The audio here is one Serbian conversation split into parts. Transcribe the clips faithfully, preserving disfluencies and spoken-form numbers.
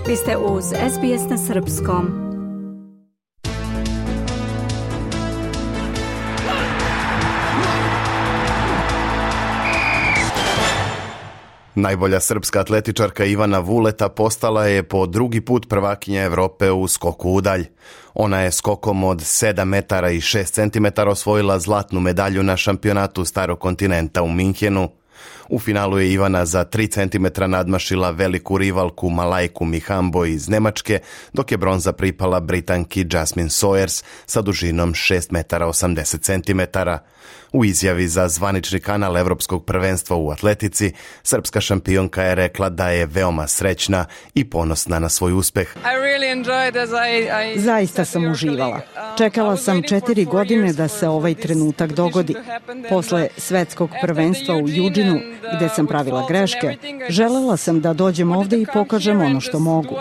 Vi ste uz S B S na srpskom. Najbolja srpska atletičarka Ivana Vuleta postala je po drugi put prvakinja Evrope u skoku udalj. Ona je skokom od sedam metara i šest centimetara osvojila zlatnu medalju na šampionatu Starog kontinenta u Minhenu. U finalu je Ivana za tri centimetra nadmašila veliku rivalku Malajku Mihambo iz Nemačke, dok je bronza pripala Britanki Jasmine Sawyers sa dužinom šest metara osamdeset centimetara. U izjavi za zvanični kanal Evropskog prvenstva u atletici, srpska šampionka je rekla da je veoma srećna i ponosna na svoj uspeh. Zaista sam uživala. Čekala sam četiri godine da se ovaj trenutak dogodi. Posle svetskog prvenstva u Eugenu, gde sam pravila greške, želela sam da dođem ovde i pokažem ono što mogu.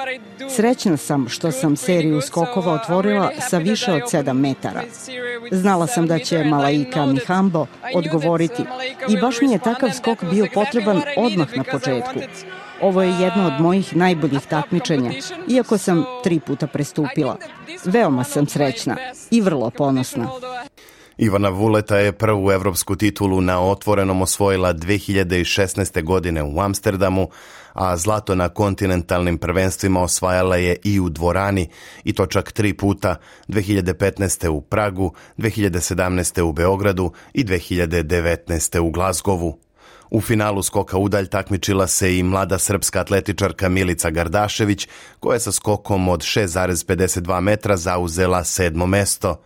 Srećna sam što sam seriju skokova otvorila sa više od sedam metara. Znala sam da će Malaika Mihambo odgovoriti i baš mi je takav skok bio potreban odmah na početku. Ovo je jedno od mojih najboljih takmičenja, iako sam tri puta prestupila. Veoma sam srećna i vrlo ponosna. Ivana Vuleta je prvu evropsku titulu na otvorenom osvojila dve hiljade šesnaeste. godine u Amsterdamu, a zlato na kontinentalnim prvenstvima osvajala je i u dvorani, i to čak tri puta, dve hiljade petnaeste. u Pragu, dve hiljade sedamnaeste. u Beogradu i dve hiljade devetnaeste. u Glazgovu. U finalu skoka udalj takmičila se i mlada srpska atletičarka Milica Gardašević, koja je sa skokom od šest zarez pedeset dva metra zauzela sedmo mesto.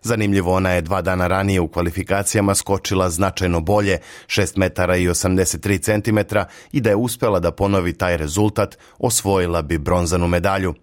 Zanimljivo, ona je dva dana ranije u kvalifikacijama skočila značajno bolje, šest metara i osamdeset tri centimetra, i da je uspela da ponovi taj rezultat, osvojila bi bronzanu medalju.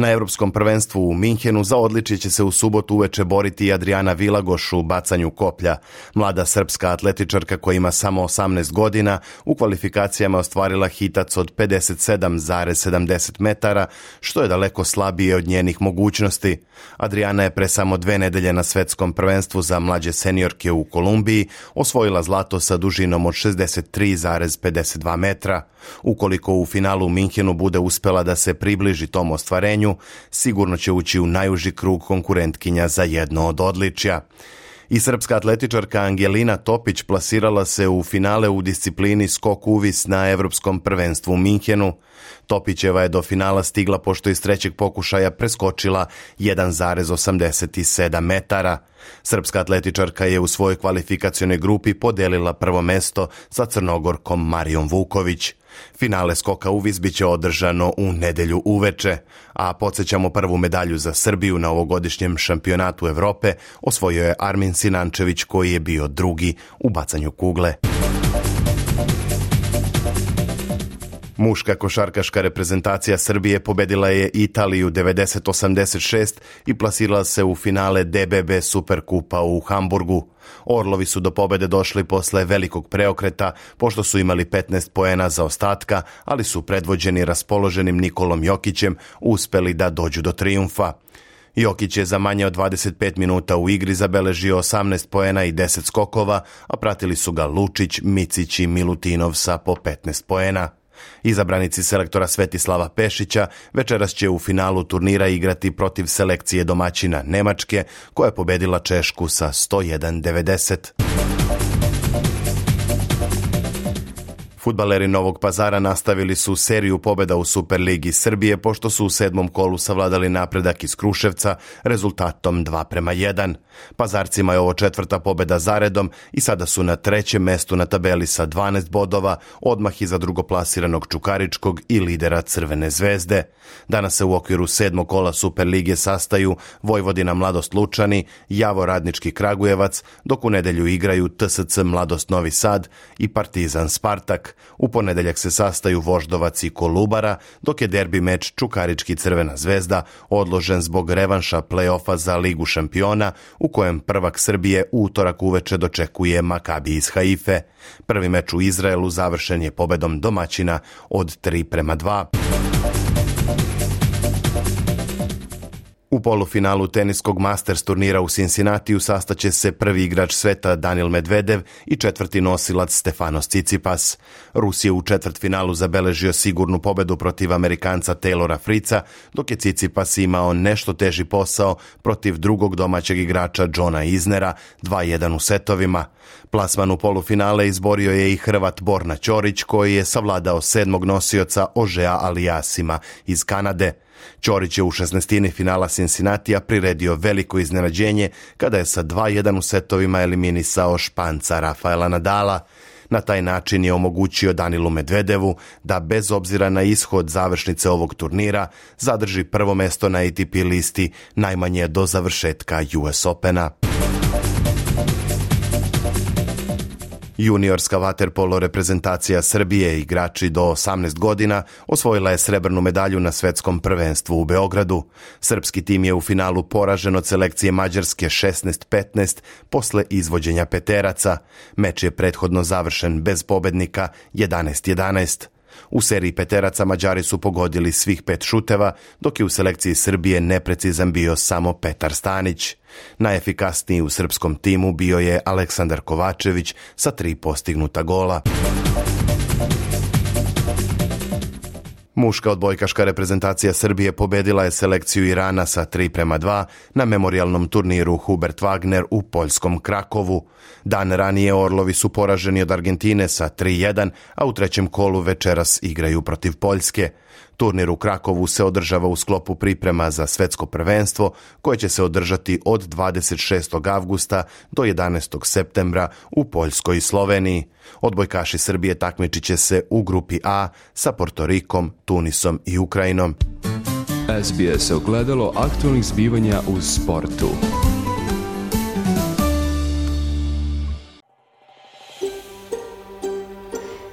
Na Evropskom prvenstvu u Minhenu za odličje će se u subotu uveče boriti i Adriana Vilagoš u bacanju koplja. Mlada srpska atletičarka koja ima samo osamnaest godina u kvalifikacijama ostvarila hitac od pedeset sedam zarez sedamdeset metara, što je daleko slabije od njenih mogućnosti. Adriana je pre samo dve nedelje na svetskom prvenstvu za mlađe seniorke u Kolumbiji osvojila zlato sa dužinom od šezdeset tri zarez pedeset dva metra. Ukoliko u finalu u Minhenu bude uspela da se približi tom ostvarenju, sigurno će ući u najuži krug konkurentkinja za jedno od odličja. I srpska atletičarka Angelina Topić plasirala se u finale u disciplini skok uvis na Evropskom prvenstvu u Minhenu. Topićeva je do finala stigla pošto iz trećeg pokušaja preskočila jedan zarez osamdeset sedam metara. Srpska atletičarka je u svojoj kvalifikacionoj grupi podelila prvo mesto sa Crnogorkom Marijom Vuković. Finale skoka uvis biće održano u nedelju uveče, a podsjećamo, prvu medalju za Srbiju na ovogodišnjem šampionatu Evrope osvojio je Armin Sinančević, koji je bio drugi u bacanju kugle. Muška košarkaška reprezentacija Srbije pobedila je Italiju devedeset osamdeset šest i plasirala se u finale D B B Superkupa u Hamburgu. Orlovi su do pobede došli posle velikog preokreta, pošto su imali petnaest poena zaostatka, ali su predvođeni raspoloženim Nikolom Jokićem uspeli da dođu do trijumfa. Jokić je za manje od dvadeset pet minuta u igri zabeležio osamnaest poena i deset skokova, a pratili su ga Lučić, Micić i Milutinov sa po petnaest poena. Izabranici selektora Svetislava Pešića večeras će u finalu turnira igrati protiv selekcije domaćina Nemačke, koja je pobedila Češku sa sto jedan devedeset. Fudbaleri Novog Pazara nastavili su seriju pobjeda u Superligi Srbije, pošto su u sedmom kolu savladali napredak iz Kruševca rezultatom dva prema jedan. Pazarcima je ovo četvrta pobjeda zaredom i sada su na trećem mestu na tabeli sa dvanaest bodova, odmah iza drugoplasiranog Čukaričkog i lidera Crvene zvezde. Danas se u okviru sedmog kola Superlige sastaju Vojvodina Mladost Lučani, Javor Radnički Kragujevac, dok u nedelju igraju T S C Mladost Novi Sad i Partizan Spartak. U ponedeljak se sastaju Voždovac i Kolubara, dok je derbi meč Čukarički Crvena zvezda odložen zbog revanša play-offa za Ligu šampiona, u kojem prvak Srbije u utorak uveče dočekuje Makabi iz Haife. Prvi meč u Izraelu završen je pobedom domaćina od tri prema dva. U U polufinalu teniskog Masters turnira u Cincinnatiju sastaće se prvi igrač sveta Daniil Medvedev i četvrti nosilac Stefanos Tsitsipas. Rus je u četvrtfinalu zabeležio sigurnu pobedu protiv Amerikanca Taylora Fritza, dok je Tsitsipas imao nešto teži posao protiv drugog domaćeg igrača Johna Isnera dva jedan u setovima. Plasman u polufinale izborio je i Hrvat Borna Ćorić, koji je savladao sedmog nosioca Ožea Aliasima iz Kanade. Ćorić je u šesnaestini finala Cincinnatija priredio veliko iznenađenje kada je sa dva jedan u setovima eliminisao Španca Rafaela Nadala. Na taj način je omogućio Danilu Medvedevu da bez obzira na ishod završnice ovog turnira zadrži prvo mesto na A T P listi najmanje do završetka U S Opena. Juniorska vaterpolo reprezentacija Srbije, igrači do osamnaest godina, osvojila je srebrnu medalju na svetskom prvenstvu u Beogradu. Srpski tim je u finalu poražen od selekcije Mađarske šesnaest petnaest posle izvođenja peteraca. Meč je prethodno završen bez pobednika jedanaest jedanaest. U seriji peteraca Mađari su pogodili svih pet šuteva, dok je u selekciji Srbije neprecizan bio samo Petar Stanić. Najefikasniji u srpskom timu bio je Aleksandar Kovačević sa tri postignuta gola. Muška odbojkaška reprezentacija Srbije pobedila je selekciju Irana sa tri prema dva na memorijalnom turniru Hubert Wagner u poljskom Krakovu. Dan ranije Orlovi su poraženi od Argentine sa tri jedan, a u trećem kolu večeras igraju protiv Poljske. Turnir u Krakovu se održava u sklopu priprema za svetsko prvenstvo koje će se održati od dvadeset šestog avgusta do jedanaestog septembra u Poljskoj i Sloveniji. Odbojkaši Srbije takmičit će se u grupi A sa Portorikom, Tunisom i Ukrajinom. S B S ogledalo aktualnih zbivanja u sportu.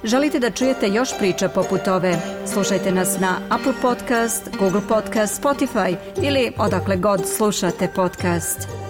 Želite da čujete još priča poput ove? Slušajte nas na Apple Podcast, Google Podcast, Spotify ili odakle god slušate podcast.